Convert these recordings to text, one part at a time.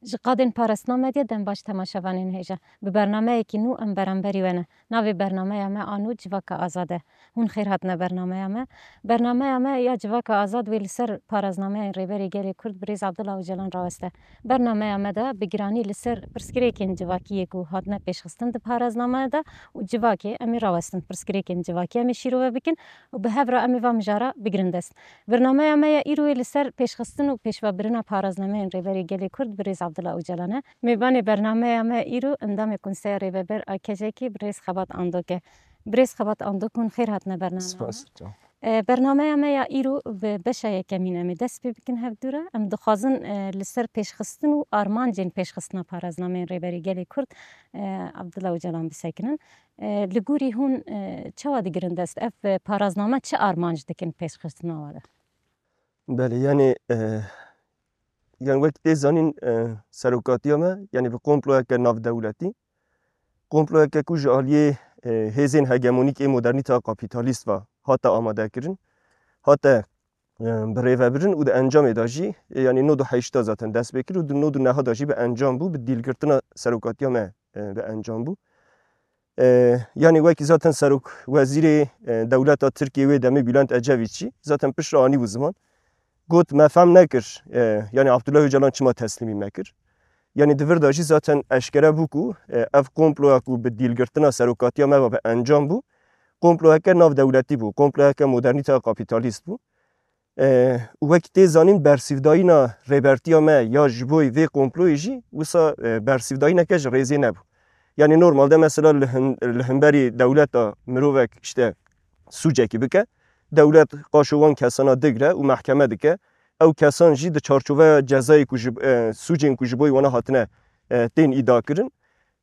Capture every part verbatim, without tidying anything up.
Ji qadên parastina medyê dem baş temaşevanên hêja. Bi bernameyekî nû em beramberî we ne. Navê bernameya me a nû Civaka Azad e. Hûn xêr hatine bernameya me. Bernameya me ya Civaka Azad wê li ser paraznameyên Rêberê Gelê Kurd Birêz Abdullah Ocalan raweste. Bernameya me de bi giranî li ser pirsgirêkên civakiyê ku hatine pêşxistin di paraznameyê de û civakê em ê rawestin. Pirsgirêkên civakî em ê şîrove bikin û bi hev re em ê va mijara bigirin dest. Bernameya me ya îro yê li ser pêşxistin û pêşvebirina paraznameyên Rêberê Gelê Kurd Birêz Abdullah Ocalan e. Mêvanê bernameya me îro endamê Konseya Rêveber a Kejekî Birêz Xebat Andok e. Birêz Xebat Andok, hûn xêr hatine bernameya me. Spas, can. E, bernameya me ya îro bi beşa yekemîn em ê dest pê bikin hevdû re. Em dixwazin, e, li ser pêşxistin û armancên pêşxistina paraznameyên Rêberê Gelê Kurd, e, Abdullah Ocalan bisekinin. E, li gorî hûn, e, çawa digirin dest? Ev, e, parazname çi armanc dikin pêşxistina we de? Belê, yani, e, yani wek tê zanîn, e, serokatiya me, yani bi komployeke navdewletî, komployeke ku ji aliyê, e, hêzên hegemonîk ê modernîteya kapîtalîst ve hate amadekirin, hate, e, birêvebirin û di encamê de jî, e, yani nod û heşta zaten dest pê kir û di nod û neha de jî bi encam bû, bi dîlgirtina serokatiya me, e, bi encam bû. E, yani wekî zaten serok wezîrê, e, dewleta Tirkiyê wê demê Bülent Ecevît jî zaten piştre anî bû ziman. Got, me fehm nekir, e, yani Abdullah Ocalan çima teslîmî me kir. Yani di vir de jî zaten eşkere bû ku, e, ev komploya ku bi dîlgirtina serokatiya me ve bi encam bû, komployeke navdewletî bû, komployeke modernîteya kapîtalîst bû. E, û wekî tê zanîn bersîvdayîna rêbertiya me ya ji bo vê komployê jî wisa, e, bersîvdayîneke ji rêzê nebû. Yani normalde mesela li hin-, li hemberî dewleta mirovek işte sûcekî bike, dewlet qaşo wan kesana digre û mehkeme dike. Ew kesan jî di çarçoveya cezayê ku ji, e, sûcên ku ji bo wana hatine, e, tên îda kirin,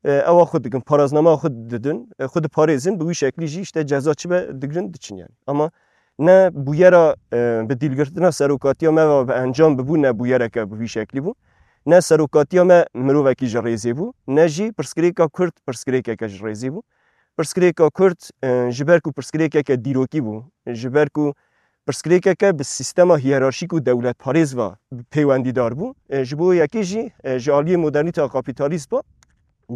e, ewa xwe dikin, paraznama xwe didin, e, xwe diparêzin, bi wî şeklî jî işte ceza çi be digirin diçin yani. Ama ne bûyera, e, bi dîlgirtina serokatiya me ve bi encam bibû, ne bûyereke bi vî şeklî bû. Ne serokatiya me mirovekî ji rêzê bû, ne jî pirsgirêka Kurd pirsgirêkeke ji rêzê bû. Pirsgirêka Kurd, e, ji ber ku pirsgirêkeke dîrokî bû, ji ber ku pirsgirêkeke bi sîstema hiyerarşîk û dewletparêz ve peywendîdar bû, e, ji bo yekê jî, e, ji aliyê modernîteya kapîtalîst ve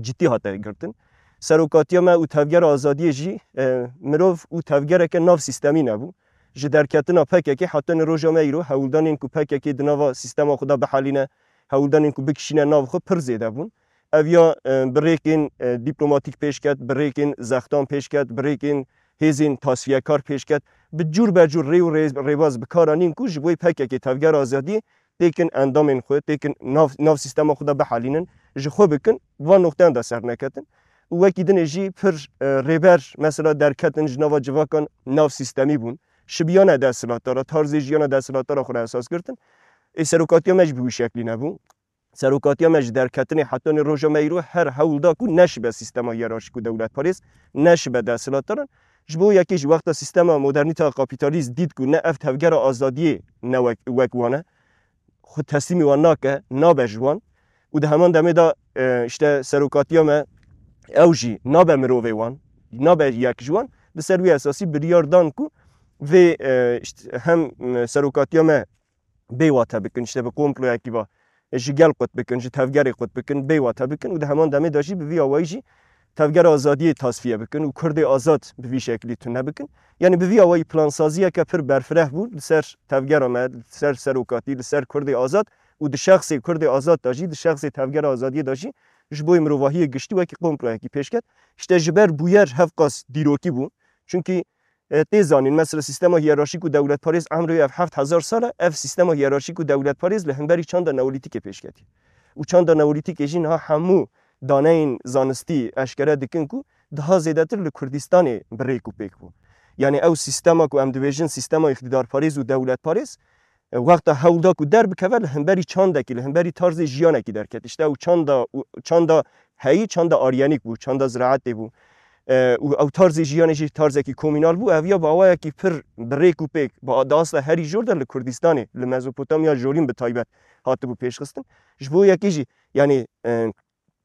cidî hate girtin. Serokatiya me û Tevgera Azadiyê jî, e, mirov û tevgereke nav sîstemî nebû. Ji derketina P K K heta nê roja me îro hewldanên ku P K K di nava sîstema xwe de bihelîne, hewldanên ku bikişîne nav xwe pir zêde bûn. Ev ya, e, bi rêkên, e, dîplomatîk pêş ket, bi rêkên zextan pêş ket, bi rêkên hêzên tasfiyekar pêş ket. Bi cûr be cûr rê û rê-, rêbaz bi kar anîn ku ji bo P K K Tevgera Azadiyê têkin endamên xwe, têkin nav, nav sîstema xwe de bihelînin, ji xwe bikin, van noxteyan de ser neketin. Û wekî dinê jî pir, e, rêber mesela derketin ji nava civakan nav sîstemî bûn. Şibiyane desthilatdara, tarzê jiyana desthilatdara xwe re esas girtin. Ê serokatiya me jî bi wî şeklî nebû. Serokatiya me ji derketinê heta nê roja me îro her hewl da ku neşibe sîstema hiyerarşîk û dewletparêz, neşibe desthilatdaran. Ji bo yekê jî wexta sîstema modernîteya kapîtalîst dît ku ne ev tevgera azadiyê ne wek, wek wan e, xwe teslîmî wan nake, nabe ji wan. Û di heman demê de, e, işte serokatiya me ew jî nabe mirovê wan, nabe yek ji wan. Bi ser wî esasî biryar dan ku vê, e, işte hem, e, serokatiya me bê wate bikin, işte bi komployekî va ji gel qut bikin, ji tevgerê qut bikin, bê wate bikin û di heman demê de jî bi vî awayî jî tevgera azadiyê tasfiye bikin û Kurdê azad bi vî şeklî tune bikin. Yani bi vî awayî plansaziyeke pir berfireh bû li ser tevgera me, li ser serokatî, li ser Kurdê azad û di şexsê Kurdê azad de jî, di şexsê tevgera azadiyê de jî ji bo mirovahiyê giştî wekî komployekî pêş ket. İşte ji ber bûyer hevqas dîrokî bû. Çunkî, e, tê zanîn, mesela sîstema hiyerarşîk û dewletparêz emrê ev heft hezar sal e, ev sîstema hiyerarşîk û dewletparêz li hemberî çanda neolîtîkê pêş ketiye. Û çanda neolîtîkê jî niha hemû daneyên zanistî eşkere dikin ku daha zêdetir li Kurdistanê bi rêk û pêk bû. Yani ew sîstema ku em dibêjin sîstema îqtîdarparêz û dewletparêz, e, wexta hewl da ku derbikeve li hemberî çandekî, li hemberî tarzê jiyanekî derket. İşte ew çanda, çanda heyî, çanda aryenîk bû, çanda ziraetê bû. E, û ew tarzê jiyanê jî tarzekî komînal bû. Ev ya bi awayekî pir bi rêk û pêk, bi, di asla herî jor de li Kurdistanê, li Mezopotamya Jorîn bi taybet hatibû pêşxistin. Ji bo yekê jî, yani, e,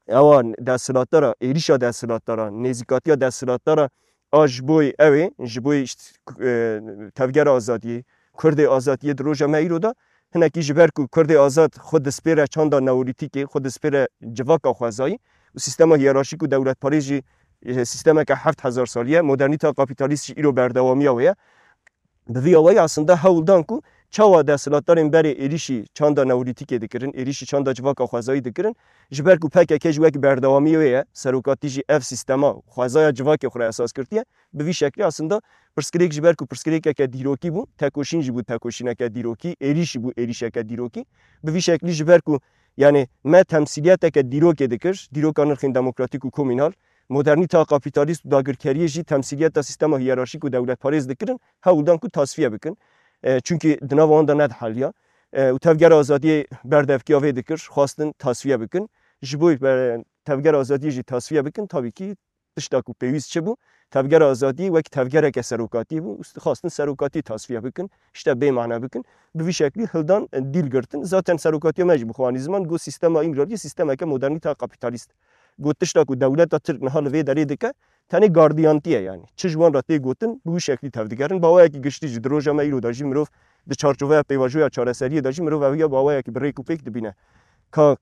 ewa desthilatdara, êrîşa desthilatdara, nêzîkatiya desthilatdara a ji boy ew ê, ji boy işte, e, tevgera azadiyê, Kurdê azadiyê di roja me îro de Hinekî ji ber ku Kurdê azad xwe dispêre çanda neolîtîkê, xwe dispêre civaka xwezayî û sîstema hiyerarşîk û dewletparêz jî, e, sîstemeke heft hezar salî ye. Modernîteya kapîtalîst jî îro berdewamiya wê ye. Bi vî awayî aslında hewl dan ku çawa desthilatdarên berê êrîşî çanda neolîtîkê dikirin, êrîşî çanda civaka xwezayî dikirin, ji ber ku P K K jî wek berdewamiyê wê ye, serokatî jî ev sîstema xwezaya civakê xwe re esas girtiye, bi vî şeklî aslında pirsgirêk ji ber ku pirsgirêkeke dîrokî bû, tekoşîn jî bû tekoşîneke dîrokî, êrîş jî bû êrîşeke dîrokî. Bi vî şeklî ji ber ku, yani, me temsîliyeteke dîrokê dikir, dîroka nirxên demokratîk û komînal, modernîteya kapîtalîst û dagirkeriyê jî temsîliyeta sîstema hiyerarşîk û dewletparêz dikirin, hewl dan ku tasfiye bikin. E, çunkî di nava wan de nediheliya. E, û Tevgera Azadiyê berdevkiya vê dikir, xwestin tasfiye bikin. Ji bo be-, Tevgera Azadiyê jî tasfiye bikin, tabii ki tişta ku pêwîst çi bû? Tevgera Azadiyê wek tevgereke serokatî bû, û xwestin serokatî tasfiye bikin, işte bê mane bikin. Bi vî şeklî hildan, e, dîl girtin. Zaten serokatiya me jî bi xwe anî ziman, got sîstema Îmraliyê sîstemeke modernîteya kapîtalîst. Got tişta ku dewleta Tirk niha li vê derê dike, tenê gardiyantiye yani. Çi ji wan re tê gotin, bi wî şeklî tevdigerin. Bi awayekî giştî jî di roja me îro de jî mirov di çarçoveya pêvajoya çareseriyê de jî mirov eviya bi awayekî bi rêk û pêk dibîne. Ka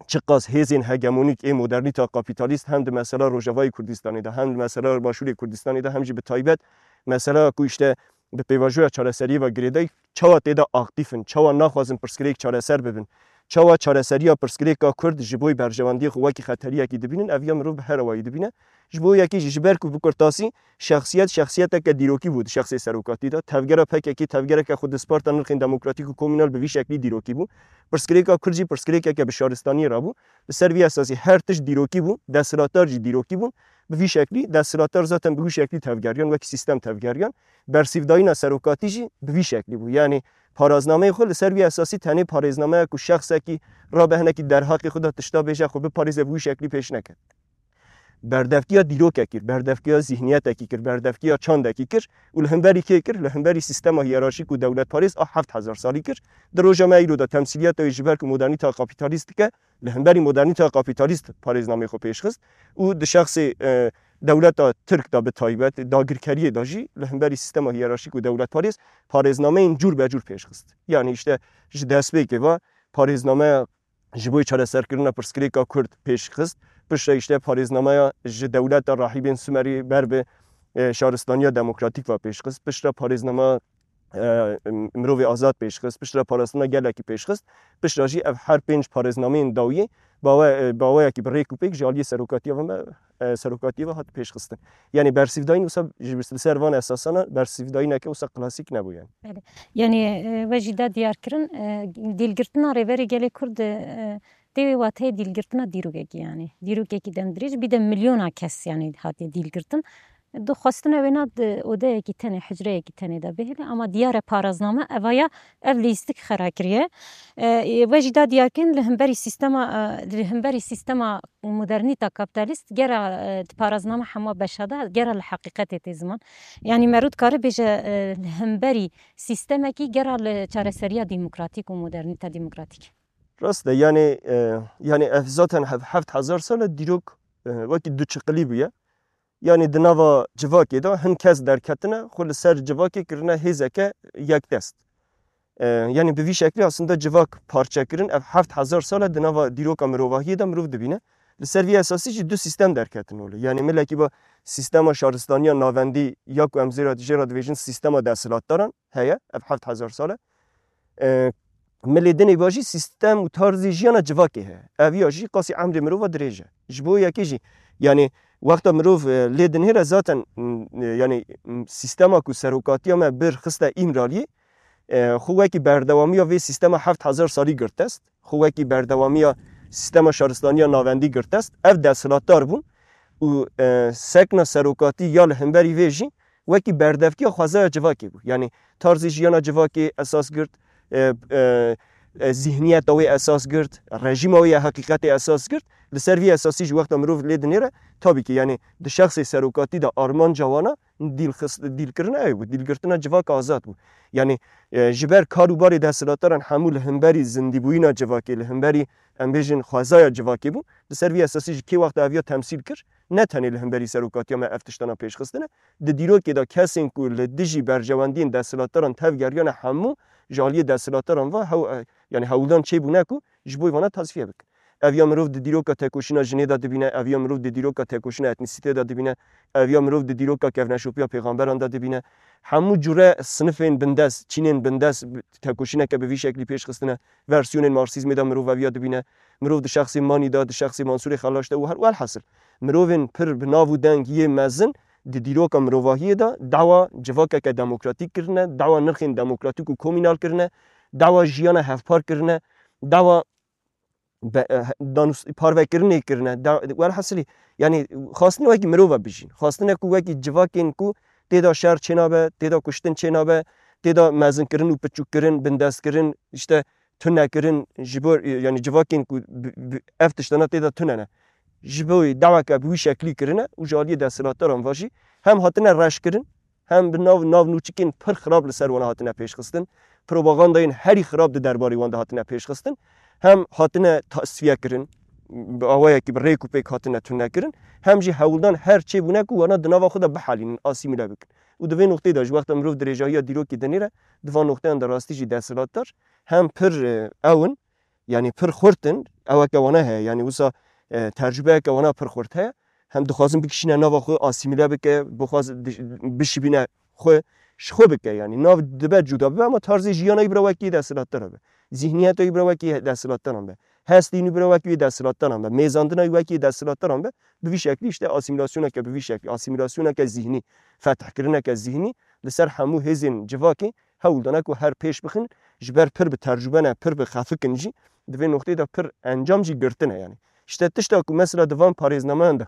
çiqas hêzên hegemonîk ê modernîta kapîtalîst hem di mesela Rojavayê Kurdistanê de, hem di mesela Başûrê Kurdistanê de, hem jî bi taybet mesela ku işte bi pêvajoya çareseriyê ve girêdayî çawa tê de aktîf in, çawa naxwazin pirsgirêk çareser bibin, çawa çareseriya pirsgirêka Kurd ji bo berjewendiyê xwe wekî xeteriyekî dibînin, ev ya mirov bi her awayî dibîne. Ji bo yekê jî ji ber ku bi kurtasî şexsiyet şexsiyeteke dîrokî bû di şexsê serokatî de. Tevgera P K K tevgereke xwedisparta nirxên demokratîk û komînal bi vî şeklî dîrokî bû. Pirsgirêka Kurd jî pirsgirêkeke bi şaristaniyê re bû. Li ser vî esasî her tişt dîrokî bû, desthilatdar jî dîrokî bûn. Bi vî şeklî desthilatdar zaten bi wî şeklî tevgeriyan, wekî sîstem tevgeriyan. Bersîvdayîna serokatî jî bi vî şeklî bû. Yanî paraznameyê xwe li ser vî esasî tenê parêznameya ku şexsekî rabe hinekî derheqê xwe de tişta bêje, xwe biparêze, bi wî şeklî pêş neket. Berdevkiya dîrokekî kir, berdevkiya zîhniyetekî kir, berdevkiya çandekî kir û li hemberî kê kir? Li hemberî sîstema hiyerarşîk û dewletparêz a heft hezar salî kir. Di roja me îro de temsîliyeta wê ji ber ku modernîta kapîtalîst dike, li hemberî modernîta kapîtalîst parêznameyê xwe pêşxist û di şexsê, e, dewleta Tirk de bi taybet, dagirkeriyê de jî li hemberî sîstema hiyerarşîk û dewletparêz parêznameyên cûr be cûr pêşxist. Yanî işte ji destpêkê ve parêznameya ji bo çareserkirina pirsgirêka Kurd pêşxist. Piştre işte parêznameya ji dewleta rahîbên Sumerî ber bi, e, şaristaniya demokratîk ve pêşxist. Piştre parêznama, e, mirovê azad pêşxist. Piştre parastina gelekî pêşxist. Piştre jî ev her pênc parêznameyên dawiyê bawe-, e, baweyekî bi rêk û pêk ji aliyê serokatiya ve me, e, serokatiyê ve hat pêşxistin. Yanî bersîvdayîn wisa ji, li ser van esasana bersîvdayîneke wisa klasîk nebû yani. Belê. Yanî, e, we jî da diyar kirin, e, dîlgirtina Rêberê Gelê Kurd, e, tê wê wateyê dîlgirtina dîrokekî yanî. Dîrokekî demdirêj, bî de milyona kes yanî hatiye dîlgirtin. Di xwestina wêna di odeyekî tenê, hucreyekî tenê de bihêle, ama diyar e parazname evaya ev lîstik xera kiriye. E, e, we jî da diyar kirin li hemberî sîstema, e, li hemberî sîstema modernîta kapîtalîst gera, e, di parazname hema beşa de gera li heqîqetê tê ziman. Yanî merû dikare bêje, e, li hemberî sîstemekî gera li çareseriya demokratîk û modernîta demokratîk. Rast e, yanî, e, yanî ev zaten hev-, heft hezar sal e dîrok, e, wekî du çiqilî bûye. Yanî di nava civakê de hin kes derketine, xwe li ser civakê kirine hêzeke yekdest. E, yanî bi vî şeklî aslında civak parçe kirin, ev heft hezar sal e di nava dîroka mirovahiyê de mirov dibîne. Li ser vî esasî jî du sîstem derketin holê. Yanî milekî ba sîstema şaristaniya navendî ya ku em zêra, jê re dibêjin sîstema desthilatdaran heye, ev heft hezar sal e. E, milê dinê ba jî sîstem û tarzê jiyana civakê heye. Ev ya jî qasî emrê mirova dirêj e. Ji bo yekê jî, yanî wexta mirov, e, lê dinêre zaten, m, e, yanî, m, sîstema ku serokatiya me bir xiste Îmraliyê, e, xwe wekî berdewamiya vê sîstema heft hezar salî girt dest, xwe wekî berdewamiya sîstema şaristaniya navendî girt dest, ev desthilatdar bûn û, e, sekna serokatî ya li hemberî vê jî wekî berdevkiya xwezaya civakê bû. Yanî tarzê jiyana civakê esas girt, e, e, e, zîhniyeta wê esas girt, rejîma wê ya heqîqetê esas girt. Li ser vî esasî jî wexta mirov lê dinêre, tabî ki, yanî di şexsê serokatî de armanca wana dîl xist-, dîlkirina ew bû, dîlgirtina civaka azad bû. Yanî, e, ji ber kar û barê desthilatdaran hemû li hemberî zindîbûyîna civakê, li hemberî, em bêjin, xwezaya civakê bû. Li ser vî esasî jî kê wexta ev ya temsîl kir, ne tenê li hemberî serokatiya me ev tiştana pêşxistine, di dîrokê de kesên ku li dijî berjewendiyên desthilatdaran tevgeriyane hemû Ji aliyê desthilatdaran ve hew-, e, yanî hewldan çêbûne ku ji bo vana tasfiye bikin. Ev ya mirov di dîroka tekoşîna jinê de dibîne, ev ya mirov di dîroka tekoşîna etnîsîtê de dibîne, ev ya mirov di dîroka kevneşopiya pêxamberan de dibîne. Hemû cure sinifên bindest, çînên bindest bi-, tekoşîneke bi vî şeklî pêş xistine. Versiyonên Marksîzmê de mirov ev ya dibîne. Mirov di şexsê Manî de, di şexsê Mansûrê Xelaş de û her welhasil. Mirovên pir bi nav û deng yê mezin di dîroka mirovahiyê de dawa civakeke demokratîk kirine, dawa nirxên demokratîk û komînal kirine, dawa jiyana hevpar kirine, dawa be-, eh, danûs-, parvekirinê kirine. Da-, welhasilî, yanî xwastine wekî mirova bijîn. Xwastine ku wekî civakên ku tê de şer çênabe, tê de kuştin çênabe, tê de mezinkirin û piçûkkirin, bindestkirin, işte tunekirin, ji bo, yanî civakên ku bi, bi, ev tiştana tê de tune ne. Ji bo daweke bi wî şeklî kirine û ji aliyê desthilatdaran ve jî hem hatine reş kirin, hem bi nav, nav nûçikên pir xirab li ser wana hatine pêşxistin. Propagandayên herî xirab di derbarê wan de hatine pêşxistin. Hem hatine tasfiye kirin, bi awayekî bi rêk û pêk hatine tune kirin, hem jî hewldan her çê bûne ku wana di nava xwe de bihelînin, asîmîle bikin. Û di vê noqteyê de ji wexta mirov dirêjahiya dîrokê dinêre, di van noqteyan de rastî jî desthilatdar hem pir, e, ew in, yanî pir xurt in, eweke wana heye, yanî wisa, e, tercubeyeke wana pir xurt heye. Hem dixwazin bikişîne nava xwe, asîmîle bike, bixwaz di-, bişibîne xwe, ji xwe bike, yanî nav dibe cuda bibe, ama tarzê jiyana wî bira wekî desthilatdar be. Zihniyeta wî bira wekî desthilatdaran be. Hestên wî bira wekî desthilatdaran be. Mêzandina wî wekî desthilatdaran be. Bi vî şeklî işte asîmîlasyoneke bi vî şeklî, asîmîlasyoneke zihnî, fethkirineke zihnî li ser hemû hêzên civakê hewl dane ku her pêş bixin, ji ber pir bi tercube ne, pir bi xefik in jî, di vê noqteyê de pir encam jî girtine yanî. Îşte tişta ku mesela di van parêznameyan de,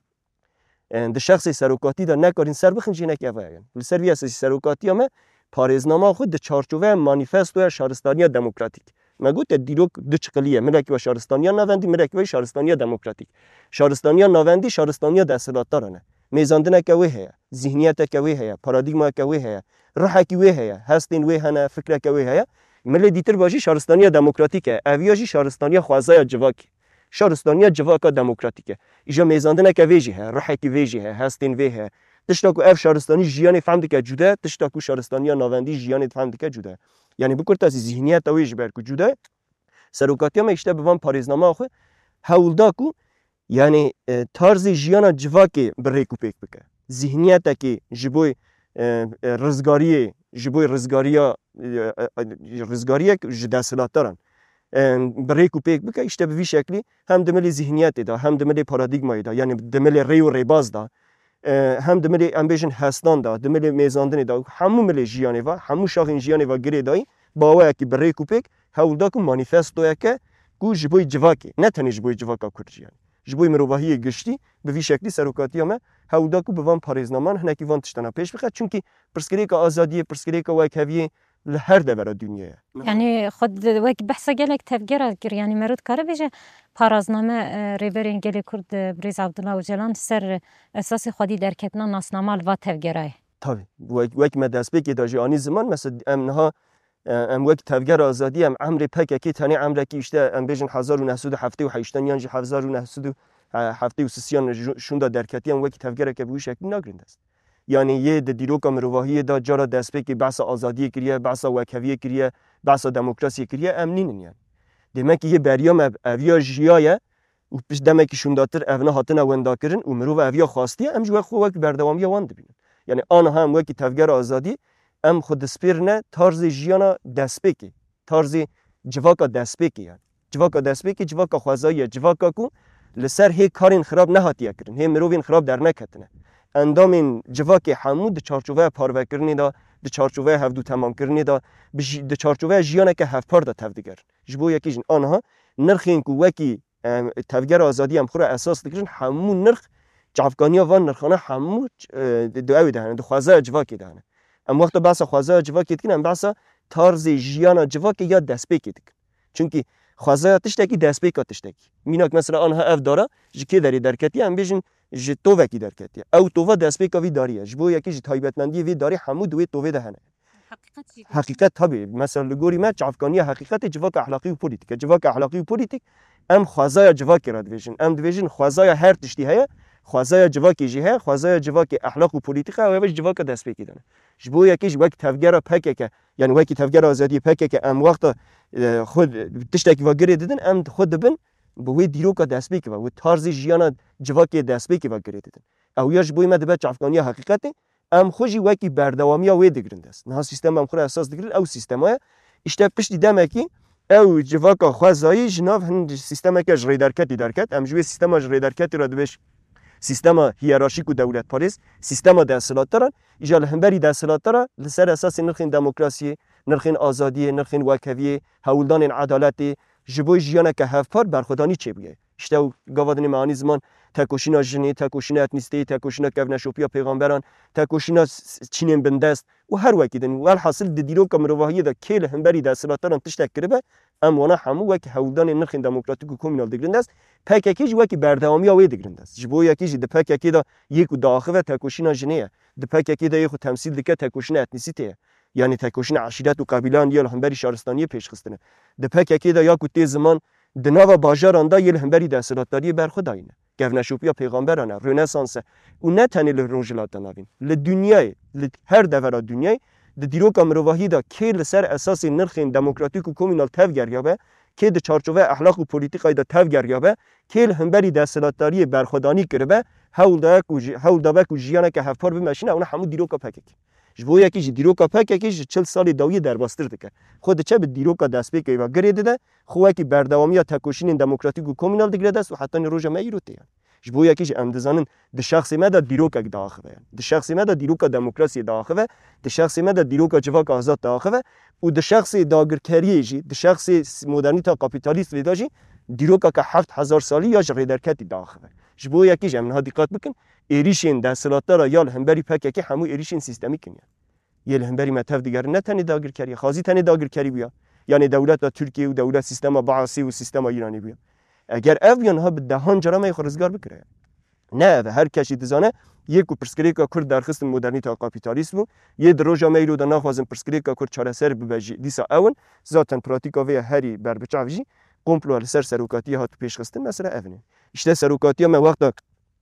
e, di şexsê serokatî de nekarîn ser bixin jî hinek ev e yanî. Li ser vî esasî serokatiya me parêznama xwe di çarçoveya manîfestoya şaristaniya demokratîk. Me gote dîrok du çiqilî ye. Milekî we şaristaniya navendî, milekî we şaristaniya demokratîk. Şaristaniya navendî şaristaniya desthilatdaran e. Mêzandineke wê heye, zihniyeteke wê heye, paradîgmayeke wê heye, ruhekî wê heye, hestên wê hene, fikreke wê heye. Milê dîtir ve jî şaristaniya demokratîk e. Ev ya jî şaristaniya xwezaya civakî. Şaristaniya civaka demokratîk e. Îja mêzandineke vê jî heye, ruhekî vê jî heye, hestên vê heye. Tişta ku ev şaristanî jiyanê fehm dike cuda ye, tişta ku şaristaniya navendî jiyanê fehm dike cuda ye. Yanî bi kurtasî zihniyeta wê ji ber ku cuda ye, serokatiya me îşte bi van parêznama xwe hewl da ku, yanî, e, tarzê jiyana civakê bi rêk û pêk bike. Zihniyetekê ji bo, e, e, rizgariyê, ji bo rizgariya, e, e, e, rizgariyek ji desthilatdaran, e, bi rêk û pêk bike. Îşte bi vî şeklî hem di milê zihniyetê de, hem di milê paradîgmayê de, yanî di milê rê û rêbaz de, e, hem di milê, em bêjin, hestan de, di milê mêzandinê de, hemû milê jiyanê ve, hemû şaxên jiyanê ve girêdayî, bi awayekî bi rêk û pêk hewl da ku manîfestoyeke ku ji bo civakê, ne tenê ji bo civaka Kurd jî yanî, ji bo mirovahiyê giştî, bi vî şeklî serokatiya me hewl da ku bi van parêznaman hinekî van tiştana pêş bixe. Çimkî pirsgirêka azadiyê, pirsgirêka wekheviyê li her devera dinyê ye. Yanî xwe di-, wek behsa gelek tevgera kir. Yanî meriv dikare bêje parazname, e, Rêberên Gelê Kurd, e, Birêz Abdullah Ocalan ser esasê xwedî derketina nasnama li va tevgera ye. Tabii. Wek, wek me destpêkê de jî anî ziman, mesela em niha, e, em wek tevgera azadî, em emrê P K K tenê emrekî, işte, em bêjin hezar û neh sed û heftê û heştan yan jî hezar û neh sed û heftê û sisiyan ji şûnda derketiye, em wekî tevgereke bi wî şeklî nagrin dest. Yanî yê di dîroka mirovahiyê de cara destpêkê behsa azadiyê kiriye, behsa wekheviyê kiriye, behsa demokrasiyê kiriye, em nînin yanî. Demek ki yê beriya me ev ya jiyaye û pişt demekî şûndatir evna hatine wendakirin û mirov ev ya xwastiye, em ji we xwe wek berdewamiya wan dibînin. Yanî aniha em wekî tevgera azadî, em xwe dispêrine tarzê jiyana destpêkê, tarzê civaka destpêkê yanî. Civaka destpêkê, civaka xwezayî ye, civaka ku li ser hê karên xirab nehatiye kirin, hê mirovên xirab derneketine. Endamên civakê hemû di çarçoveya parvekirinê de, di çarçoveya hevdûtemamkirinê de, bi jî-, di çarçoveya jiyaneke hevpar de tevdigerin. Ji bo yekê jî aniha nirxên ku wekî, em, tevgera azadî em xwe re esas dikirin, hemû nirx, çavkaniya van nirxana hemû, e, di, di ew de hene, di xwezaya civakê de hene. Em wexta behsa xwezaya civakê dikin, em behsa tarzê jiyana civakê ya destpêkê dikin. Çimkî xwezaya tiştekî destpêka tiştekî. Mînak mesela aniha ev dara ji kê derê derketiye, em bêjin ji tovekî derketiye. Ew tova destpêka vî darî ye. Ji bo yekê ji taybetmendiyê vê darê hemû di wê tovê de hene. Heqîqet jî. Heqîqet tabii. Mesela li gorî me çavkaniya heqîqetê civaka ehlaqî û polîtîk e. Civaka ehlaqî û polîtîk em xwezaya civakê re dibêjin. Em dibêjin xwezaya her tiştî heye, Xwezaya civakê jî heye, xwezaya civakê, ehlaq û polîtîka, ew eve ji civaka destpêkê de ne. Ji bo yekê jî wek tevgera P K K, yani wekî tevgera azadiyê P K K, em wexta, e, xwe tiştekî ve girê didin, em xwe dibin bi wê dîroka destpêkê ve, wê tarzê jiyana civakê destpêkê ve girê didin. Ew ya ji bo me dibe çavkaniya heqîqetê, em xwe jî wekî berdewamiya wê digirin dest. Niha sîstema em xwe re esas digirin, ew sîstema ye. Îşte piştî demekî ew civaka xwezayî ji nav hin sîstemeke ji rêderketî derket. Em ji wê sîstema ji rêderketî re dibêj sîstema hiyerarşîk û dewletparêz, sîstema desthilatdaran, îja li hemberî desthilatdara li ser esasê nirxên demokrasiyê, nirxên azadiyê, nirxên wekheviyê, hewldanên edaletê, ji bo jiyaneke hevpar berxwedanî çêbûye. Îşte ew gava dinê me anî ziman, tekoşîna jinê, tekoşîna etnîsteyê, tekoşîna kevneşopiya pêxamberan, tekoşîna s-, s-, çînên bindest û her wekî din. Welhasil di dîroka mirovahiyê de kê li hemberî desthilatdaran tiştek kiribe, em wana hemû wek hewldanên nirxên demokratîk û komînal digirin dest, P K K jî wekî berdewamiya wê digirin dest. Ji bo yekî jî di P K K de yê ku diaxive tekoşîna jinê ye. Di P K K de yê xwe temsîl dike tekoşîna etnîsîtê ye. Yanî tekoşîna eşîret û qebîleyan ya li hemberî şaristaniyê pêşxistine. Di P K K de ya ku tê ziman di nava bajaran de yê li hemberî desthilatdariyê berxwe dayîne. Kevneşopiya pêxamberan e, Rönesans e û ne tenê li Rojhilata Navîn. Li dinyayê, li her devera dinyayê, di dîroka mirovahiyê de kê li ser esasê nirxên demokratîk û komînal tevgeriyabe, kê di çarçoveya ehlaq û polîtîkayê de tevgeriyabe, kê li hemberî desthilatdariyê berxwedanî kiribe, hewl daye ku ji-, hewl dabe ku jiyaneke hevpar bimeşîne, ew ne hemû dîroka P K K. Ji bo yekî jî dîroka P K K ji çil salê dawiyê derbastir dike. Xwe diçe bi dîroka destpêkê ve girê dide, xwe wekî berdewamiya tekoşînên demokratîk û komînal digire dest û hetanî roja me îro tê ye. Ji bo yekî jî em dizanin di şexsê me de dîrokek diaxive. Di şexsê me de dîroka demokrasiyê diaxive, di şexsê me de dîroka civaka azad diaxive û di şexsê dagirkeriyê jî, di şexsê s-, modernîta kapîtalîst vê de jî dîrokeke heft hezar salî ya ji rêderketî diaxive. Ji bo yekî jî em niha dîqet bikin, êrîşên desthilatdara ya li hemberî P K K hemû êrîşên sîstemîk in. Yê li hemberî me tev digerin, ne tenê dagirkerî, xazî tenê dagirkerî bûya. Yanê dewleta Tirkiyê û dewlet sîstema Baasê û sîstema Îranê bûya. Eger ev bûya niha bi dehan cara me yê xwe rizgar bikire. Ne ev e, her kes jî dizane, yê ku pirsgirêka Kurd derxistin modernîta kapîtalîst bû, yê di roja me îro de naxwazin pirsgirêka Kurd çareser bibe jî, dîsa ew in, zaten pratîka vê ya herî berbiçav jî, komplo li ser serokatiya hat pêşxistin, mesela ev in. Îşte serokatiya me wexta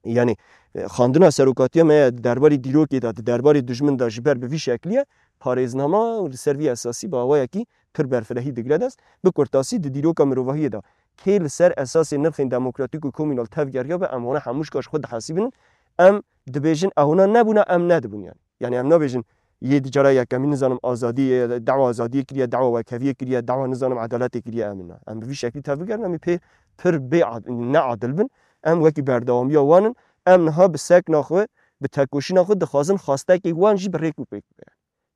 Yanî, e, xandina serokatiya me ya di derbarê dîrokê de, di derbarê dijmin de ji ber bi vî şeklî ye, parêznama û li ser vî esasî bi awayekî pir berfirehî digire dest. Bi kurtasî di dîroka mirovahiyê de kê li ser esasê nirxên demokratîk û komînal tevgeriya be, em wana hemû ji ka ji xwe dihesibînin. Em dibêjin, ew hona nebûna, em nedibûn yanî. Yanî em nabêjin, yê di cara yekemîn nizanim azadiyê, dawa azadiyê kiriye, dawa wekheviyê kiriye, dawa nizanim edaletê kiriye, em ne. Em bi vî şeklî tevbigerin, em ê pê pir bê ad-, neadil bin. Em wekî berdewamiya wan in. Em niha bi sekna xwe, bi tekoşîna xwe dixwazin xwestekê wan jî bi rêk û pêk bibe.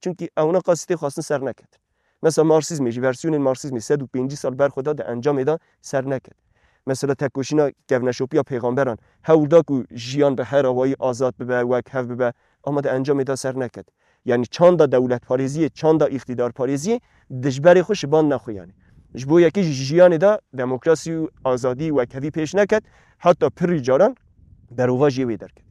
Çimkî ewna qasî tê xwestin ser neketin. Mesela Marksîzmê jî, versiyonên Marksîzmê sed û pêncî sal ber xwe da, di encamê de ser neket. Mesela tekoşîna kevneşopiya pêxamberan hewl da ku jiyan bi her awayî azad bibe, wekhev bibe, ama di encamê de ser neket. Yanî çanda dewletparêziyê, çanda îqtîdarparêziyê dijberê xwe şiband nexwe yanî. Ji bo yekê jî jiyanê de demokrasî û azadî, wekhevî pêş neket, heta pirî caran berova jê wê derket.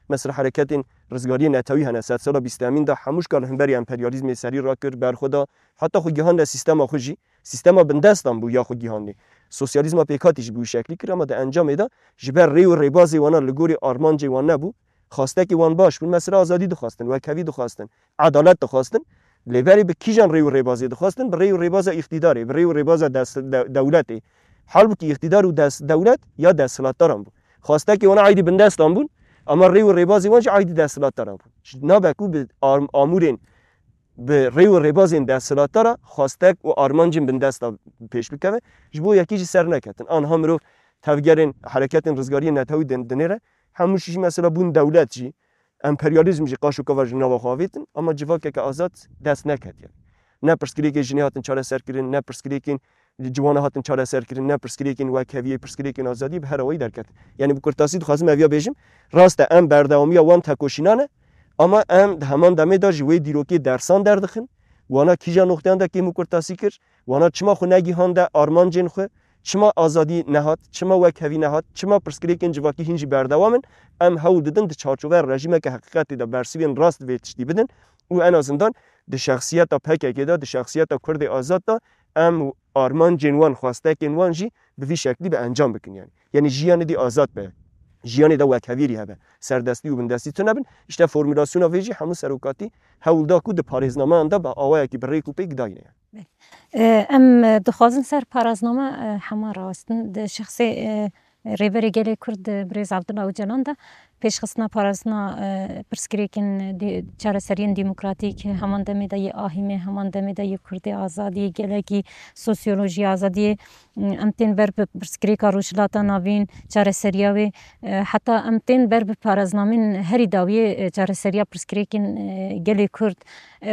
Mesela hereketên rizgariyê netewî hene, sedsala bîst û yekemîn de hemû şka li hemberî emperyalîzmê serî rakir, berxwe da, heta xwe gihande sîstema xwe jî, sîstema bindestan bû ya xwe gihandê. Sosyalîzma pêkhatî jî bi wî şeklî kir, ama di encamê de ji ber rê û rêbazê wana li gorî armancê wan nebû. Xwestekî wan baş bûn, mesela azadî dixwestin, wekhevî dixwestin, edalet dixwestin. Lê berê bi kîjan rê û rêbazê dixwestin? Bi rê û rêbaza îqtîdarê, bi rê û rêbaza dest-, de-, dewletê. Halbûkî îqtîdar û dest-, dewlet ya desthilatdaran bû. Xwestekê wana aydî bindestan bûn, ama rê û rêbazê wan jî aydî desthilatdaran bûn. Ji nabe ku bi arm-, amûrên, bi rê û rêbazên desthilatdara xwestek û armancên bindesta pêş bikeve. Ji bo yekî jî ser neketin. Anha mirov tevgerên hereketên rizgariyê netewî din-, dinêre, hemû jî mesela bûn dewlet jî, emperyalîzm jî qaşokava ji nava xwe avêtin, ama civakeke azad dest neket yanî. Ne pirsgirêkê jinê hatin çareserkirin, ne pirsgirêkên ciwana hatin çareserkirin, ne pirsgirêkên wekheviyê, pirsgirêkên azadiyê bi her awayî derket. Yanî bi kurtasî dixwazim eviya bêjim, rast e em berdewamiya wan tekoşînan e, ama em di heman demê de ji wê dîrokê dersan derdixin, wana kîja noxteyan de kêm û kurtasî kir, wana çima xwe negihande armancên xwe, çima azadî nehat, çima wekhevî nehat, çima pirsgirêkên civakî hîn jî berdewam in, em hewl didin di çarçoveya rejîmeke heqîqetê de bersivên rast vê tiştî bidin û en azîndan di şexsiyeta P K K de, di şexsiyeta Kurdê azad de em armancên wan, xwestekên wan jî bi vî şeklî bi encam bikin yanî. Yanî jiyanê dî azad be. jiyanê de wekhevîrî hebe. Serdestî û bindestî tune bin. Îşte formulasyona vê jî hemû serokatî hewl da ku di parêznameyan de bi awayekî bi rêk û pêk dayîne. Em dixwazin ser parazname hema rawestin. Di şexsê Rêberê Gelê Kurd Birêz Abdullah Ocalan de pêşxistina parastina pirsgirêkên çareseriyên demokratîk, heman demê de yê ahîmê, heman demê de yê Kurdê azadiyê, gelekî sosyolojiyê azadiyê, em tên ber bi pirsgirêka Rojhilata Navîn, çareseriya wê, heta em tên ber bi paraznamên herî dawiyê çareseriya pirsgirêkên gelê Kurd.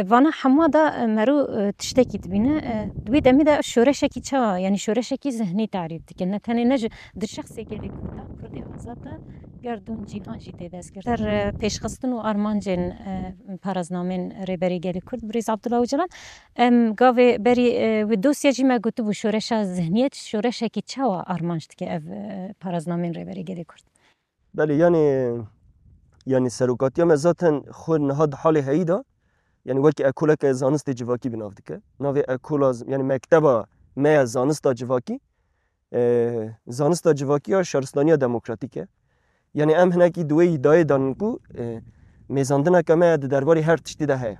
Vana hema de mero tiştekî dibîne. Di wê demê de şoreşekî çawa, yanî şoreşekî zihnî tarîf dike. Ne tenê ne ji di şexsê gelê Kurd de, Kurdê azad de, gerdûn cîhan jî tê destgirtin. Ser pêşxistin û armancên paraznamên Rêberê Gelê Kurd Birêz Abdullah Ocalan, em gavê berî wê dosya jî me gotibû, şoreşa zihniyet şoreşekî çawa armanc dike ev paraznamên Rêberê Gelê Kurd? Belê, yanî, yanî serokatiya me zaten xwe niha di halê heyî de, yanî wekî ekoleke zanistê civakî bi nav dike. Navê ekola z-, yanî mekteba me ya zanista civakî, e, zanista civakî ya şaristaniya demokratîk e. Yanî em hinekî di wê îdayê de nin ku, e, mêzandineke me di derbarê her tiştî de heye.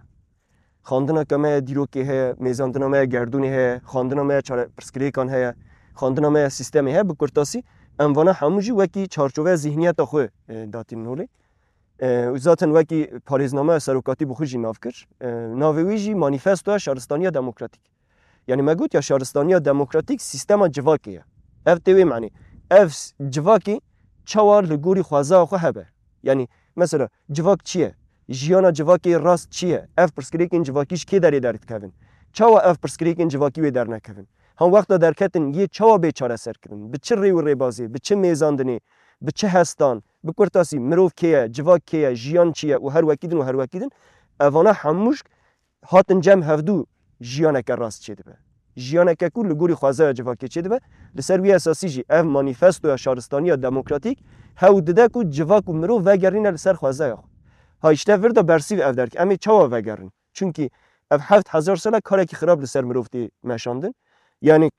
Xwendineke me ya dîrokê heye, mêzandina me ya gerdûnê heye, xwendina me ya çare-, pirsgirêkan heye, xwendina me ya sîstemê heye. Bi kurtasî, em vana hemû jî wekî çarçoveya zîhniyeta xwe, e, datînin holê. E, û zaten wekî parêznameya serokatî bi xwe jî nav kir. E, navê wî jî Manîfestoya Şaristaniya Demokratîk. Yanî me got ya şaristaniya demokratîk sîstema civakê ye. Ev tê wê manî. Ev s-, civakê çawa li gorî xwezaya xwe hebe? Yanî mesela civak çi ye? Jiyana civakê rast çi ye? Ev pirsgirêkên civakî ji kê derê derdikevin? Çawa ev pirsgirêkên civakî wê dernekevin? Han wexta derketin yê çawa bê çareserkirin? Bi çi rê û rêbazê? Bi çi mêzandinê? Bi çi hestan? Bi kurtasî mirov kê ye? Civak kê ye? Jiyan çi ye? Û her wekî din û her wekî din. Evana hemû ji hatin cem hevdû jiyaneke rast çêdibe. Jiyaneke ku li gorî xwezaya civakê çêdibe, li ser wî esasî jî ev manîfestoya şaristaniya demokratîk hewl dide ku civak û mirov vegerîne li ser xwezaya xwe. Ha îşte vir de bersîv ev derke. Em ê çawa vegerin? Çunkî ev heft hezar sal e karekî xirab li ser mirov tê meşandin. Yanî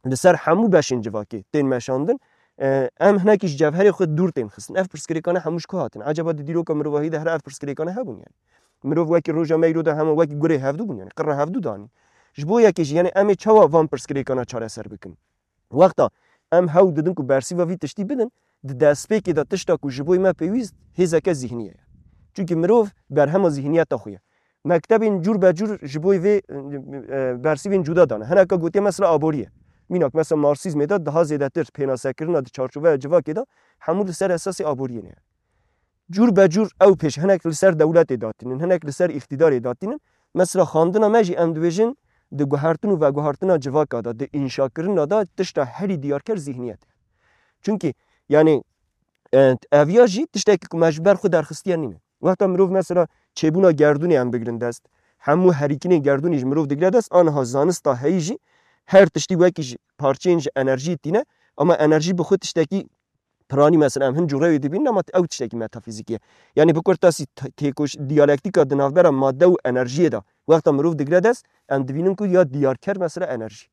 li ser hemû beşên civakê tên meşandin. E, em hinekî ji cevherê xwe dûr tên xistin. Ev pirsgirêkane hemû ji ku hatin? Ecaba di dîroka mirovahî de here ev pirsgirêkane hebûn yanî? Mirov wekî roja me îro de hema wekî gurê hevdû bûn yanî? Qirra hevdû danî. Ji bo yekê jî yanî em ê çawa van pirsgirêkana çareser bikin? Wexta em hewl didin ku bersîva vî tiştî bidin, di destpêkê de tişta ku ji bo me pêwîst hêzeke zîhnî ye. Çunkî mirov berhema zîhniyeta xwe ye. Mektebên cûr be cûr ji bo vê, e, bersîvên cuda dane. Hineka gotiye mesela aborî ye. Mînak mesela Marsîzmê de daha zêdetir pênasekirina di çarçoveya civakê de hemû li ser esasê aboriyê ne. Cûr be cûr ew pêş hinek li ser dewletê datînin, hinek li ser îqtîdarê datînin. Mesela xwendina me jî em dibêjin di guhertin û veguhertina civaka de, di înşakirina de tişta herî diyarker zîhniyet e. Çunkî yanî, e, eviya jî tiştekî ku me ji ber xwe derxistiye nîne. Wexta mirov mesela çêbûna gerdûnê em bigirin dest, hemû herîkinên gerdûnê ji mirov digire dest, aniha zanista heyî jî her tiştî wekî ji parçeyên ji enerjiyê tîne, ama enerjî bi xwe tiştekî piranî mesela em hin cûre wê dibînin, ama ew tiştekî metafîzîkî ye. Yanî bi kurtasî t-, têkoş-, diyalektîka di navbera madde û enerjiyê de wexta mirov digire dest, em dibînin ku ya diyarker mesela enerjî.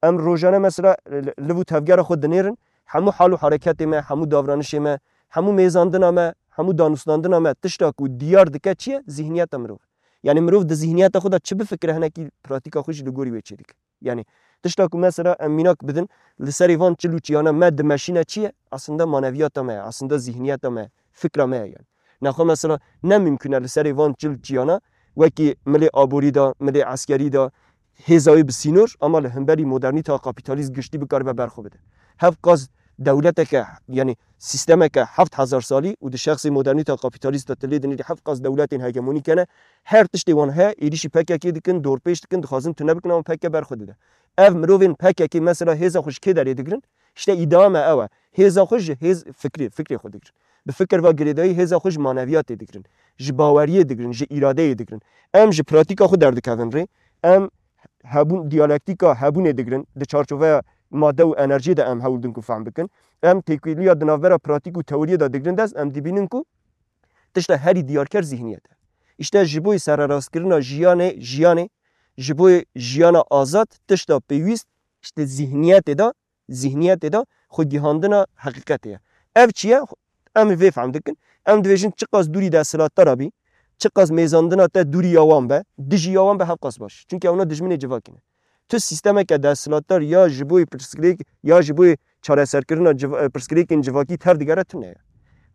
Em rojane mesela li, liv û tevgera xwe dinêrin, hemû hal û hereketê me, hemû davranişê me, hemû mêzandina me, hemû danûstandina me, tişta ku diyar dike çi ye? Zîhniyeta mirov. Yanî mirov di zîhniyeta xwe de çi bifikire, hinekî pratîka xwe jî li gorî wê çêdike. Yanî tişta ku mesela em mînak bidin, li serê van çil û çiyana me dimeşîne çi ye? Aslında maneviyata me ye, aslında zîhniyeta me ye, fikra me ye yanî. Nexwe mesela ne mimkun e li serê van çil çiyana wekî milê aborî de, milê eskerî de hêza wê bi sînor, ama li hemberî modernîta kapîtalîst giştî bikaribe berxwe bide. Hevqas dewleteke, yanî sîstemeke heft hezar salî û di şexsê modernîta kapîtalîst de tu lê dinêrî hevqas dewletên hegemonîk hene, her tiştê wan heye, êrîşî P K K dikin, dorpêç dikin, dixwazin tune bikin, ama P K K berxwe dide. Ev mirovên P K K mesela hêza xwe ji kê derê digirin? Îşte îdia me ew e. Hêza xwe ji hêz fikrê, fikrê xwe digirin. Bi fikir ve girêdayî hêza xwe ji maneviyatê digirin. Ji baweriyê digirin, ji îradeyê digirin. Em ji pratîka xwe derdikevin rê. Em hebûn, diyalektîka hebûnê digirin. Di çarçoveya madde û enerjiyê de em hewl din ku fehm bikin. Em têkiliya di navbera pratîk û teoriyê de digirin dest, em dibînin ku tişta herî diyarker zîhniyet e. Îşte ji bo sererastkirina jiyanê, jiyanê, ji bo jiyana azad tişta pêwîst, îşte zîhniyetê de, zîhniyetê de xwegihandina heqîqetê ye. Ev çi ye? Em vê fehm dikin. Em dibêjin çiqas dûrî desthilatdara bî, çiqas mêzandina te dûrî ya wan be, dijî ya wan be hevqas baş. Çunke ewna dijminê civakî ne. Tu sîstemeke desthilatdar ya ji bo pirsgirêk ya ji bo çareserkirina civ-, e, pirsgirêkên civakî tev digere tune ye.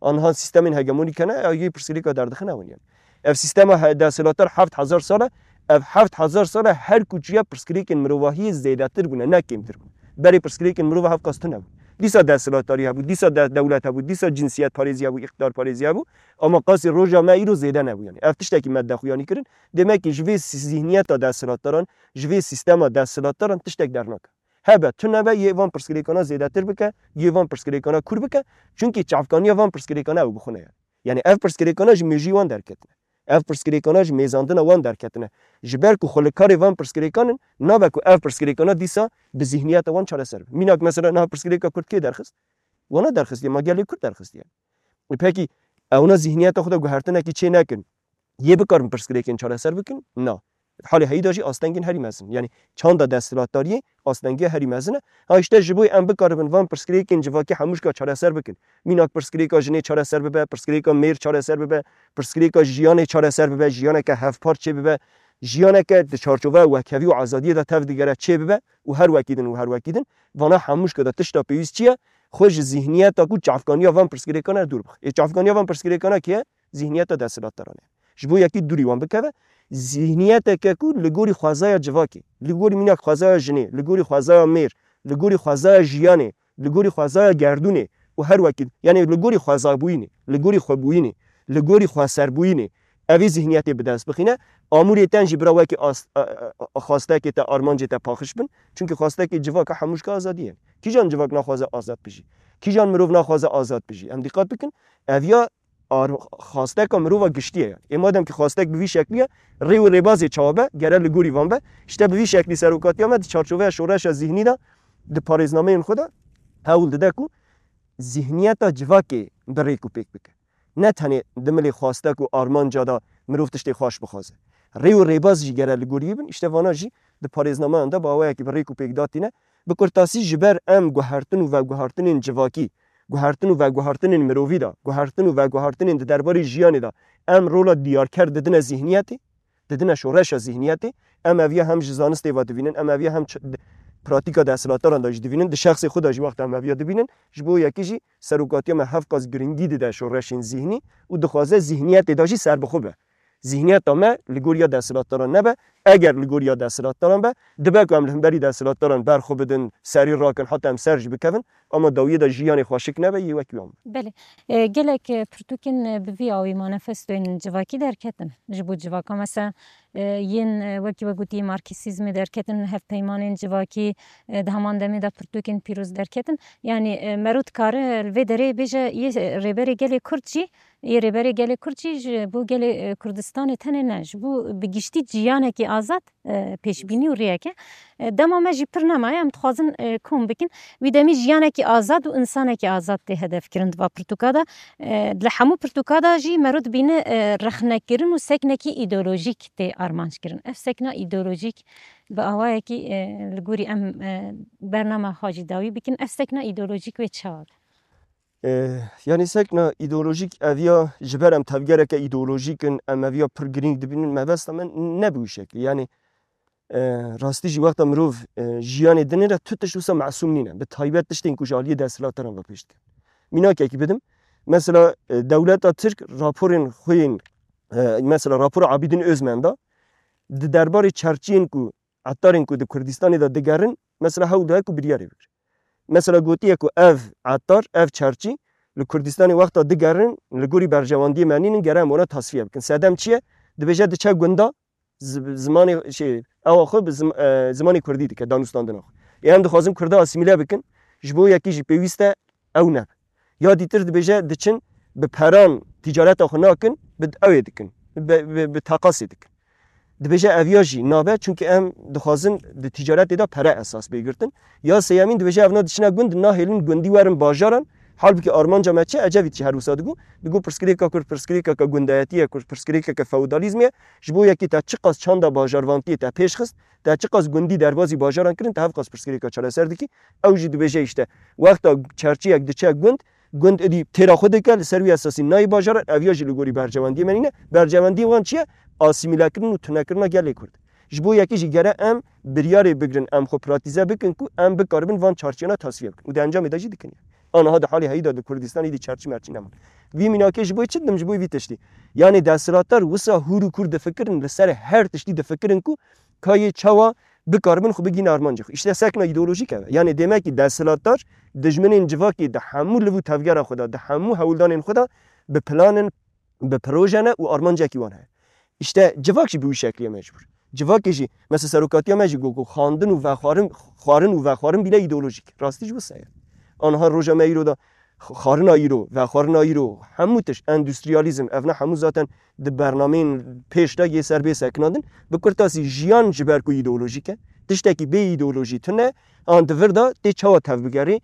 Anha sîstemên hegemonîk hene, ew yê pirsgirêka derdixin ew in yani. Ev sîstema he-, desthilatdar heft hezar sal e, ev heft hezar sal e her ku çûye pirsgirêkên mirovahiyê zêdetir bûne, ne kêmtir bûne. Berê pirsgirêkên mirova hevqas tune bûn. Dîsa desthilatdarî hebû, dîsa de-, dewlet hebû, dîsa cinsiyet parêzî hebû, îqtidar parêzî hebû. Ama qasî roja me îro zêde nebû yani. Ev tiştekî me dexuyanî kirin. Demek ki ji vê sî-, zihniyeta desthilatdaran, ji vê sîstema desthilatdaran tiştek dernake. Hebe, tune be, yê van pirsgirêkana zêdetir bike, yê van pirsgirêkana kûr bike. Çunkî çavkaniya van pirsgirêkana ew bi xwe ne ye. Yani ev pirsgirêkana ji mêjî wan derketine. Ev pirsgirêkana ji mêzandina wan derketine. Ji ber ku xwe li karê van pirsgirêkan in, nabe ku ev pirsgirêkana dîsa bi zihniyeta wan çareser be. Mînak mesela niha pirsgirêka Kurd kê derxist? Wana derxistiye, ma gelê Kurd derxistiye. E pekî, ewna zihniyeta xwe de guhertinekî çê nekin. Yê bikarin pirsgirêkên çareser bikin? Na. Halê heyî de jî astengên herî mezin. Yani çanda desthilatdariyê astengiya herî mezin e. Ha işte ji bo em bikaribin van pirsgirêkên civakî hemûşka çareser bikin. Mînak pirsgirêka jinê çareser bibe, pirsgirêka mêr çareser bibe, pirsgirêka jiyanê çareser bibe, jiyaneke hevpar çê bibe, jiyaneke di çarçoveya wekhevî û azadiyê de tev digere çê bibe û her wekî din û her wekî din. Vana hemûşka de tişta pêwîst çi ye? Xwe ji zihniyeta ku çavkaniya van pirsgirêkan e dûr bixe. Ê çavkaniya van pirsgirêkana kê ye? Zihniyeta desthilatdaran e. Ji bo yekî dûrî wan bikeve, zihniyeteke ku li gorî xwezaya civakê, li gorî mînak xwezaya jinê, li gorî xwezaya mêr, li gorî xwezaya jiyanê, li gorî xwezaya gerdûnê û her wekî, yani li gorî xwezabûyînê, li gorî xwebûyînê, li gorî xweserbûyînê, evî zihniyetê bi dest bixîne, amûrê ten jî bira wekî as-, a, a, a, xwastekê te, armancê te paxiş bin. Çunkî xwastekê civaka hemûşka azadî ye. Kîjan civak naxwaze azad bijî? Kîjan mirov naxwaze azad bijî? Em dîqat bikin, ev ya ar-, xwasteka mirova giştî ye yani. Ê madem ki xwastek bi vî şeklî ye, rê û rêbazê çawa be, gere li gorî van be. Îşte bi vî şeklî serokatiya me di çarçoveya şoreşa zihnî de, di parêznameyên xwe de hewl dide ku zihniyeta civakê bi rêk û pêk bike. Ne tenê di milê xwastek û armanca de mirov tiştê xweş bixwaze. Rê û rêbaz jî gere li gorî bin, îşte vana jî di parêznameyan de bi awayekî bi rêk û pêk datîne. Bi kurtasî ji ber em guhertin û veguhertinên civakî, guhertin û veguhertinên mirovî de, guhertin û veguhertinên di derbarê jiyanê de em rola diyarker didine zihniyetê, didine şoreşa zihniyetê. Em ev ya hem ji zanistê ve dibînin, em ev ya hem ç-, pratîka desthilatdaran de jî dibînin, di şexsê xwe de jî wexta em ev ya dibînin, ji bo yekî jî serokatiya me hevqas giringî dide şoreşên zihnî û dixwaze zihniyetê de jî serbixwe be. Zihniyeta me li goriya desthilatdaran nebe. Eger li goriya desthilatdaran be, dibe ku em li hemberî desthilatdaran ber xwe bidin, serî rakin, heta em ser jî bikevin, ama dawiyê de jiyanê xweşik nebe, yê wekî wan be. Belê. E, gelek, e, pirtûkên, e, bi vî awî manifestoyên civakî derketin. Ji bo civaka mesela, e, yên, e, wekî we gotî marksîzmê derketin, hevpeymanên civakî, e, di heman demê de pirtûkên pîroz derketin. Yanî, e, mero dikare li vê derê bêje yê rêberê gelê Kurd jî, yê rêberê gelê Kurd jî ji bo gelê, e, Kurdistanê tenê ne, ji bo bi giştî jiyanekî azad, e, pêşbînî û rêyeke. E, dema me jî pir nemaye, em dixwazin, e, kom bikin. Wî demî jiyanekî azad û însanekî azad tê hedefkirin di va pirtûka de. E, li hemû pirtûka de jî mero dibîne, e, rexnekirin û seknekî îdeolojîk tê armanckirin. Ev sekna îdeolojîk bi awayekî, e, li gorî em, e, bernama xwe jî dawî bikin. Ev sekna îdeolojîk wê çawa be? E, yanî sekna îdeolojîk ev ya ji ber em tevgereke îdeolojîk in, em ev ya pir girîng dibînin, mebesta me ne bi wî şeklî. Yanî, e, rastî jî wexta mirov, e, jiyanê dinêre tu tişt wisa mesûm nîne. Bi taybet tiştên ku ji aliyê desthilatdaran ve pêş dikin. Mînakekî bidim. Mesela, e, dewleta Tirk raporên xwe yên, e, mesela rapora Abîdîn Ozmen da, di derbarê çerçiyên ku, etarên ku di Kurdistanê de digerin, mesela hewl daye ku biryarê bigire. Mesela gotiye ku ev etar, ev çerçî li Kurdistanê wexta digerin, li gorî berjewendiyê me nînin, gere em wana tasfiye bikin. Sedem çi ye? Dibêje diçe gunda, zi-, zimanê, şey, ewa xwe bi zim-, e, zimanê kurdî dike, danûstandina xwe. Ê em dixwazin kurda asîmîle bikin, ji bo yekî jî pêwîst e ew nebe. Ya dîtir dibêje diçin bi peran tîcareta xwe nakin, bi ew ê dikin, bi, bi, bi teqasê dikin. Dibêje ev ya jî nabe, çunkî em dixwazin di tîcaretê de pere esas bê girtin. Ya sêyemîn dibêje evna diçine gund, nahêlin gundî werin bajaran. Halbûkî armanca me çi? Ecevît jî her wisa digot. Digot pirsgirêka Kurd pirsgirêkeke gundayetî ye, Kurd pirsgirêkeke feodalîzmê ye. Ji bo yekî te çiqas çanda bajarvantiyê te pêş xist, te çiqas gundî derbazî bajaran kirin, te hevqas pirsgirêka çareser dikî. Ew jî dibêje îşte, wexta çerçiyek diçe gund, gund êdî têra xwe dike, li ser wî esasî nayê bajaran, ev ya jî li gorî berjewendiyê me nîne. Berjewendiyê wan çi ye? Asîmîlekirin û tunekirina gelê Kurd. Ji bo yekê jî gere em biryarê bigrin, em xwe pratîze bikin ku em bikaribin van çarçiyana tasfiye bikin. Û di encamê de jî dikin. Aniha di halê heyî de li Kurdistanê dî çerçî merçî neman. Vî mînakê ji bo çi didim, ji bo vî tiştî. Yanê desthilatdar wisa hûr û kûr difikirin, li ser her tiştî difikirin ku ka yê çawa bikaribin xwe bigihîne armancê xwe. Îşte sekna îdeolojîk ev e. Yanê demekî desthilatdar dijminên civakê di hemû liv û tevgera xwe de, di hemû hewldanên xwe de bi plan in, bi proje ne û armancekî wan heye. Îşte civak jî bi wî şeklî ye mecbûr. Civakê jî, mesela serokatiya me jî got ku xandin û vexwarin, xwarin û vexwarin bîle îdeolojîk. Rastî jî wisa ye. Aniha roja me îro de xarina îro, vexwarina îro, hemû tişt, endüstriyalîzm, ev ne hemû zaten di bernameyên pêş de yê ser bê sekinandin. Bi kurtasî jiyan ji ber ku îdeolojîk e, tiştekî bê îdeolojî tune, an di vir de tê çawa tevbigerê,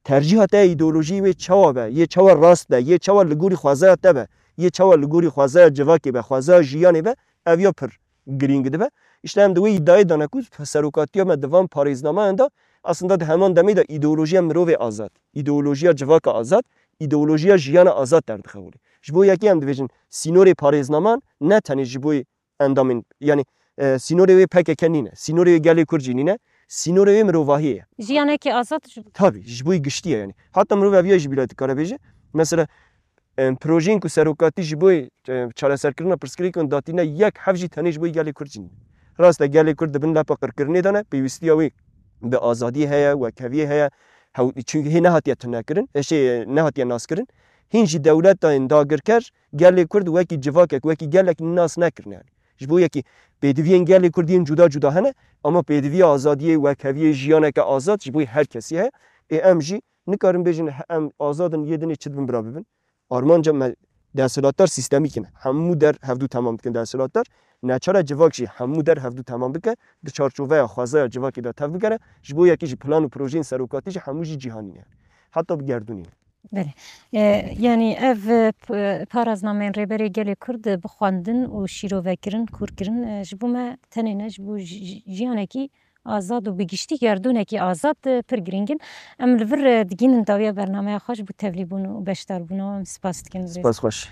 tercîha te ya îdeolojiyê wê çawa be, yê çawa rast be, yê çawa li gorî xwezaya te be, yê çawa li gorî xwezaya civakê be, xwezaya jiyanê be, ev ya pir girîng dibe. Îşte em di wê îdiayê de ne ku serokatiya me di van parêznameyan de aslında di heman demê de îdeolojiya mirovê azad, îdeolojiya civaka azad, îdeolojiya jiyana azad derdixewilê. Ji bo yekê em dibêjin sînorê parêznaman ne tenê ji bo endamên, yanî, e, sînorê wê P K K nîne, sînorê wê gelê Kurd jî nîne, sînorê wê mirovahiyê ye. Jiyanekî azad ji Tabî, ji bo giştî ye yanî. Heta mirov ev ya jî bîra dikare bêje. Mesela, em, projeyên ku serokatî ji bo, e, çareserkirina pirsgirêkan datîne yek hev jî tenê ji bo gelê Kurd jî nîne. Rast e, gelê Kurd di bin lepa qirkirinê de ne, pêwîstiya wê bi azadiyê heye, wekheviyê heye, hew-, çunke hê nehatiye tunekirin, e, şey, e, nehatiye naskirin. Hîn jî dewletên dagirker gelê Kurd wekî civakek, wekî gelek nas nekirine yanî. Ji bo yekî pêdiviyên gelê Kurd yên cuda cuda hene, ama pêdiviya azadiyê, wekheviyê, jiyaneke azad ji bo her kesî heye. Ê em jî nikarin bêjin he-, em azad in, yê dinê çi dibin bira bibin. Armanca me desthilatdar sîstemîk in. Hemû der hevdû temam dikin desthilatdar. Neçare civak jî hemû der hevdû temam bike, di çarçoveya xwezaya civakê de tev bigere, ji bo yekî jî plan û projeyên serokatî jî hemû jî cîhanî ne. Heta bi gerdûnî ne. Belê. E, yanî ev, e, p-, paraznameyên Rêberê Gelê Kurd, e, bi xwendin û şîrovekirin, kûrkirin, e, ji bo me tenê ne, ji bo ji-, ji-, jiyanekî azad û bi giştî gerdûnekî azad, e, pir girîng in. Em li vir, e, digihînin dawiya bernameya xwe, ji bo tevlîbûn û beşdarbûna we em spas dikin. Spas xweş.